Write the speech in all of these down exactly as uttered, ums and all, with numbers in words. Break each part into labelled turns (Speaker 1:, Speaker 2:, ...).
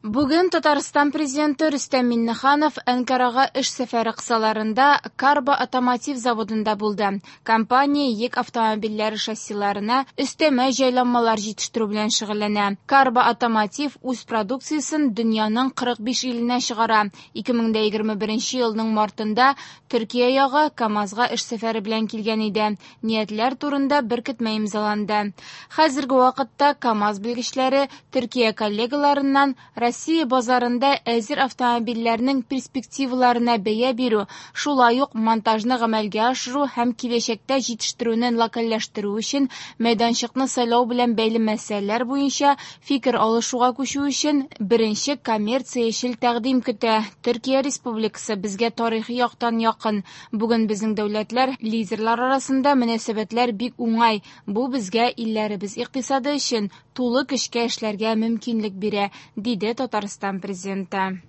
Speaker 1: Бүген Татарстан президенты Рөстәм Миңнеханов Әнкарага эш сәфәре кысаларында Карба Отомотив заводында булды. Компания йөк автомобильләре шассиларына өстәмә җайланмалар җитештерү белән шөгыльләнә. Карба Отомотив үз продукциясен дөньяның кырык биш иленә чыгара. ике мең дә егерме беренче елның мартында Төркия ягы КАМАЗга эш сәфәре белән килгән иде. Ниятләр турында беркетмә имзаланды. Хәзерге вакытта КАМАЗ белгечләре Төркия коллегаларыннан Россия базарында әзер автомобильләрнең перспективаларына бәя бирү, шулай ук монтажны гамәлгә ашыру һәм киләчәктә җитештерүне локальләштерү өчен мәйданчыкны сайлау белән бәйле мәсьәләләр буенча фикер алышуга күчү өчен беренче коммерциячел тәкъдим көтә. Төркия Республикасы безгә тарихи яктан якын. Бүген безнең дәүләтләр лидерлар арасында мөнәсәбәтләр бик уңай. Бу безгә илләребез икътисады өчен тулы көчкә эшләргә мөмкинлек бирә, диде Татарстан президенты.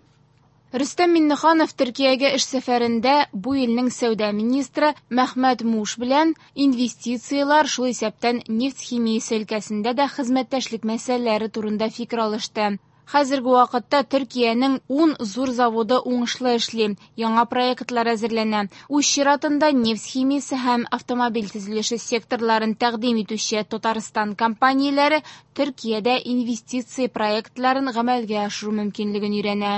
Speaker 1: Рөстәм Миңнеханов Төркиягә эш сәфәрендә бу илнең сәүдә министры Мәхмәт Муш белән инвестицияләр, шул исәптән нефть химиясе өлкәсендә дә хезмәттәшлек мәсьәләләре турында фикер алышты. Хәзерге вакытта Төркиянең ун зур заводы уңышлы эшли, яңа проектлар әзерләнә. Үз чиратында нефть химиясе һәм автомобиль төзелеше секторларын тәкъдим итүче Татарстан компанияләре Төркиядә инвестиция проектларын гамәлгә ашыру мөмкинлеген өйрәнә.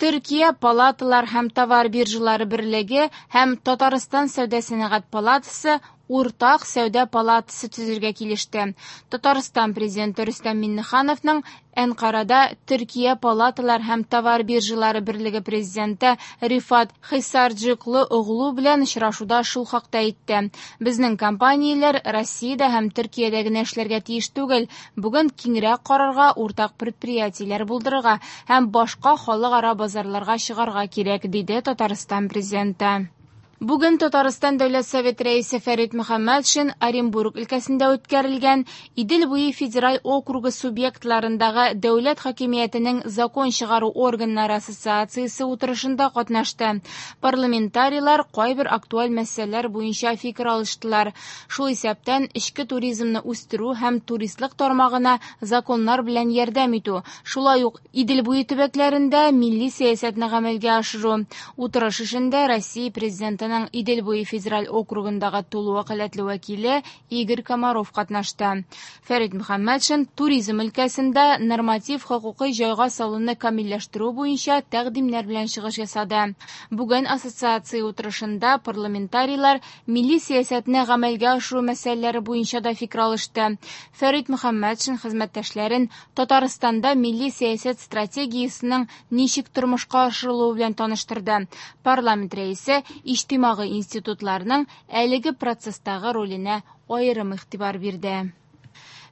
Speaker 1: Төркия палаталар һәм товар биржалары берлеге һәм Татарстан сәүдә сәнәгать палатасы уртак сәүдә палатасы төзергә килеште. Татарстан президенты Рөстәм Миңнехановның Әнкарада Төркия палаталар һәм товар биржалары берлеге президенты Рифат Хисарджиклы оглу белән очрашуда шул хакта әйтте. Безнең компанияләр Россиядә һәм Төркиядә генә эшләргә тиеш түгел, бүген киңрәк карарга, уртак предприятиеләр булдырырга һәм башка халыкара базарларга чыгарга кирәк, диде Татарстан президенты. Бүген Татарстан Дәүләт Советы рәисе Фәрит Мөхәммәтшин Оренбург өлкәсендә үткәрелгән Идел буе федераль округы субъектларындагы дәүләт хакимиятенең закон чыгару органнары ассоциациясе утырышында катнашты. Парламентарийлар кайбер актуаль мәсьәләләр буенча фикер алыштылар. Шул исәптән эчке туризмны үстерү һәм туристлык тармагына законнар белән ярдәм итү, шулай ук Идел буе төбәкләрендә милли сәясәтне гамәлгә ашыру. Утырыш эшендә Россия президенты Идел буе федераль округындагы тулы вәкаләтле вәкиле Игорь Комаров катнашты. Фәрит Мөхәммәтшин туризм өлкәсендә норматив хокукый җайга салуны камилләштерү буенча тәкъдимнәр белән чыгыш ясады. Бүген ассоциация утырышында парламентарийлар милли сәясәтне гамәлгә ашыру мәсьәләләре буенча да фикер алышты. Фәрит Мөхәммәтшин хезмәттәшләрен Татарстанда милли сәясәт стратегиясенең ничек тормышка ашырылуы белән таныштырды. Парламент рәисе иҗтимагый институтларның әлеге процесстагы роленә аерым игътибар бирде.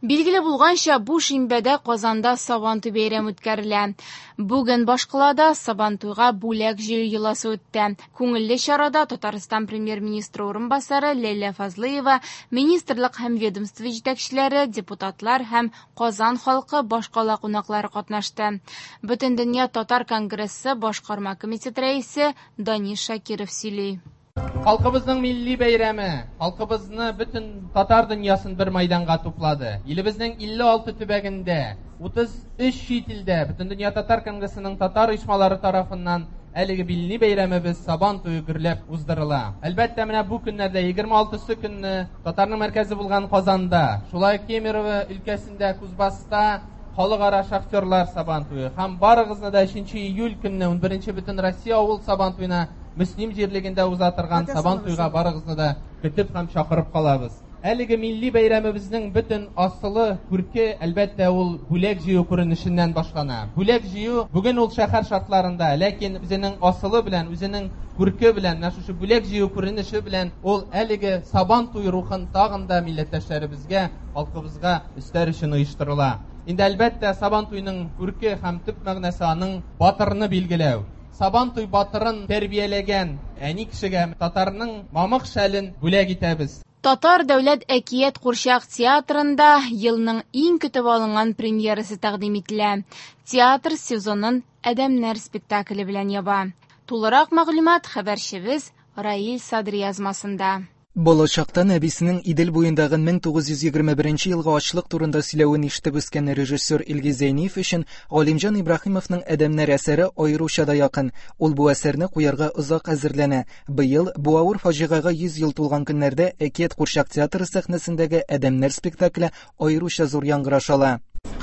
Speaker 1: Билгеле булганча, бу шимбәдә Казанда Сабантуй бәйрәме үткәрелә. Бүген башкалада Сабантуйга бүләк җыю йоласы үтте. Күңелле чарада Татарстан премьер-министры урынбасары Ләйлә Фазлыева, министрлык һәм ведомство җитәкчеләре, депутатлар һәм Казан халкы башкала кунаклары катнашты. Бөтендөнья татар конгрессы башкарма комитет рәисе Данис Шакиров сөйли.
Speaker 2: Халкыбызның милли бәйрәме, халкыбызны бөтен татар дөньясын бер майданга туплады. Илебезнең илле алты төбәгендә, утыз өч чит илдә Бөтендөнья татар конгрессының татар оешмалары тарафыннан әлеге милли бәйрәмебез Сабан туе гөрләп уздырыла. Әлбәттә, менә бу көннәрдә егерме алтысы көнне татарның мәркәзе булган Казанда, шулай Кемерово өлкәсендә, Кузбасста халыкара шахтерлар Сабан туе һәм барыгызны да өченче июль көнне унберенче бөтен Россия авыл Сабан туена Мөслим җирлегендә уза торган Сабан туйга барыгызны да көтеп һәм чакырып калабыз. Әлеге милли бәйрәмебезнең бөтен асылы, күрке, әлбәттә, ул бүләк җыю күренешеннән башлана. Бүләк җыю бүген ул шәһәр шартларында, ләкин үзенең асылы белән, үзенең күрке белән, менә шушы бүләк җыю күренеше белән ул әлеге Сабан туй рухын тагын да милләттәшләребезгә, халкыбызга өстәр өчен оештырыла. Инде әлбәттә Сабан туйның күрке һәм төп мәгънәсе аның батырны билгеләү. Сабан туй батырын тәрбияләгән әни кешегә татарның мамык шәлен бүләк итәбез.
Speaker 1: Татар дәүләт әкият курчак театрында елның иң көтеп алынган премьерасы тәкъдим ителә. Театр сезонын Адәмнәр спектакле белән яба. Тулырак мәгълүмат хәбәрчебез Раил Садри язмасында.
Speaker 3: Балачактан әбисенең Идел буендагы мең тугыз йөз егерме беренче елгы ачлык турында сөйләвен ишетеп үскән режиссер Илгиз Зәйниев өчен Галимҗан Ибраһимовның Адәмнәр әсәре аеруча да якын. Ул бу әсәрне куярга озак әзерләнә. Быел бу авыр фаҗигагә йөз ел тулган көннәрдә Әкият курчак театры сәхнәсендәге Адәмнәр спектакле аеруча зур яңгыраш ала.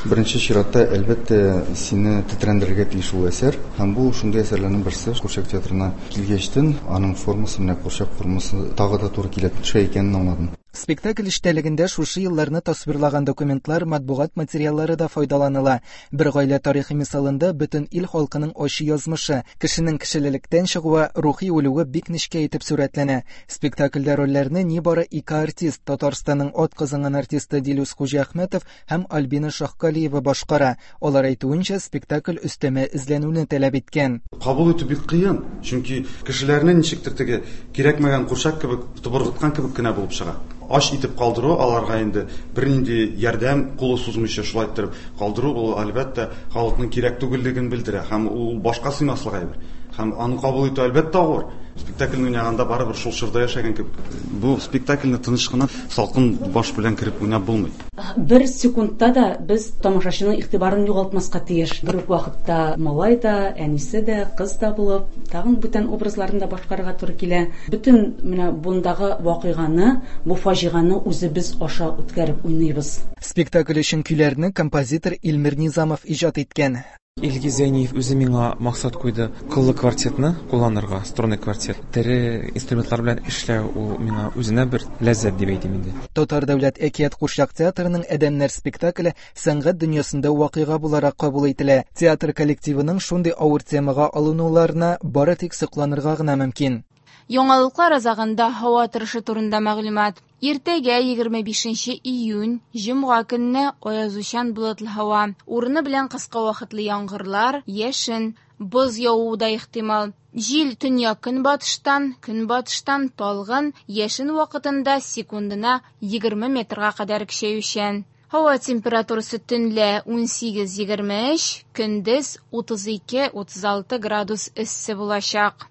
Speaker 4: Беренче чиратта, әлбәттә, сине тетрәндерергә тиеш ул әсәр. Һәм бу шундый әсәрләрнең берсе. Курчак театрына килгәчтен, аның формасы менә курчак формасы тагы да туры килә төшә икәнен аңладым.
Speaker 3: Спектакль эчтәлегендә шушы елларны тасвирлаган документлар, матбугат материаллары да файдаланыла. Бер гаилә тарихы мисалында бөтен ил халкының ачы язмышы, кешенең кешелелектән чыгуы, рухи үлүе бик нечкә итеп сурәтләнә. Спектакльдә рольләрне нибары ике артист, Татарстанның ат казанган артисты Дилүс Хуҗиәхмәтов һәм Альбина Шаһкалиева башкара. Алар әйтүенчә, спектакль өстәмә эзләнүне таләп иткән.
Speaker 5: Кабул итү бик кыен, чөнки кешеләрне ничектер теге кирәкмәгән курчак кебек, тубыргыткан кебек кенә булып чыга. Аш итеп калдыру аларга инде бернинди ярдәм кулы сузмыйча шулай иттереп калдыру, ул әлбәттә халыкның кирәк түгеллеген белдерә һәм ул башка сыймаслык әйбер. Һәм аны кабул итү әлбәттә авыр. Спектакльне уйнаганда барыбер шул чорда яшәгән кебек. Бу спектакльне тыныч кына салкын баш белән кереп уйнап булмый.
Speaker 6: Бер секундта да без тамашачының игътибарын югалтмаска тиеш. Бер үк вакытта малай да, әнисе дә, кыз да булып, тагын бүтән образларны да башкарырга туры килә. Бөтен менә бундагы вакыйганы, бу фаҗиганы үзебез аша үткәреп уйныйбыз.
Speaker 3: Спектакль өчен көйләрне композитор Илмир Низамов иҗат иткән.
Speaker 7: Илгиз Зәйниев үзе миңа максат куйды кыллы квартетны кулланырга, струнный квартет. Тере инструментлар белән эшләү ул миңа үзенә бер ләззәт дип әйтим инде.
Speaker 3: Татар дәүләт әкият курчак театрының Адәмнәр спектакле сәнгать дөньясында вакыйга буларак кабул ителә. Театр коллективының шундый авыр темага алынуларына бары тик сокланырга гына мөмкин.
Speaker 1: Яңалыклар азагында һава торышы турында мәгълүмат. Иртәгә егерме бишенче июнь, җомга көнне аязучан болытлы һава. Урыны белән кыска вакытлы яңгырлар, яшен, боз явуы да ихтимал. Җил төньяк көнбатыштан, көнбатыштан талгын, яшен вакытында секундына егерме метрга кадәр көчәючән. Һава температурасы төнлә ун сигез егерме өч, көндез утыз ике утыз алты градус эссе булачак.